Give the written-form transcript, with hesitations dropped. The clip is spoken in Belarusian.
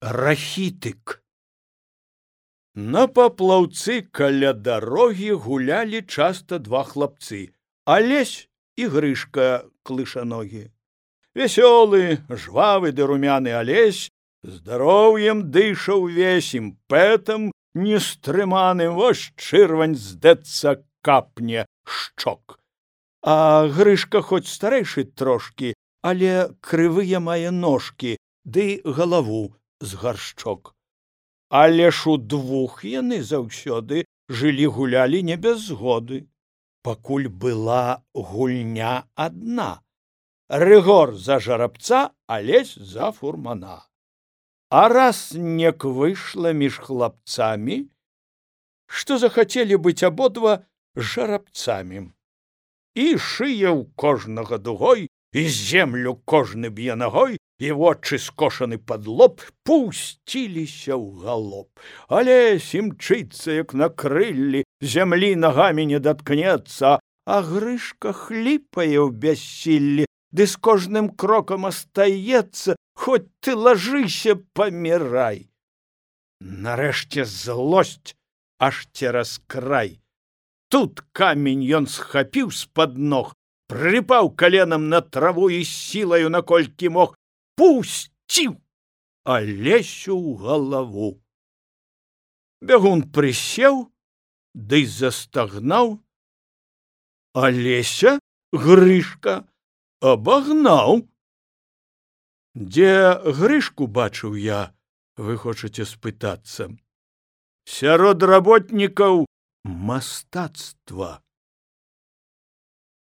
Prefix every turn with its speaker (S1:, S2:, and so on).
S1: Рахітык. На паплаўцы каля дарогі гулялі часта два хлапцы, Алесь і Грышка клышаногі. Вясёлы, жвавы ды румяны Алесь здароўем дыша ўвесь, імпэтам нестрыманым, вось чырвань здэцца капне шчок. А Грышка хоць старэйшы трошкі, але крывыя мае ножкі ды галаву з гаршчок. Але ж удвух яны заўсёды жылі-гулялі не без згоды, пакуль была гульня адна. Рыгор за жарабца, Алесь за фурмана. А раз нек выйшла між хлапцамі, што захацелі быць абодва жарабцамі. І шыя ў кожнага дугой, і землю кожны б'е нагой, і вочы скошаны пад лоб пусціліся ў галоп. Алесь імчыцца, як на крыллі, зямлі нагамі не даткнецца, а Грышка хліпае ў бяссіллі, ды з кожным крокам астаецца, хоць ты лажыся, памірай. Нарэшце злосць аж цераз край. Тут камень ён схапіў з-пад ног, прыпаў каленам на траву і сілаю, наколькі мог, пусціў Алесю ў галаву. Бягун прысеў, ды застагнаў. Алеся Грышка абагнаў. Дзе Грышку бачыў я, вы хочаце спытацца? Сярод работнікаў мастацтва.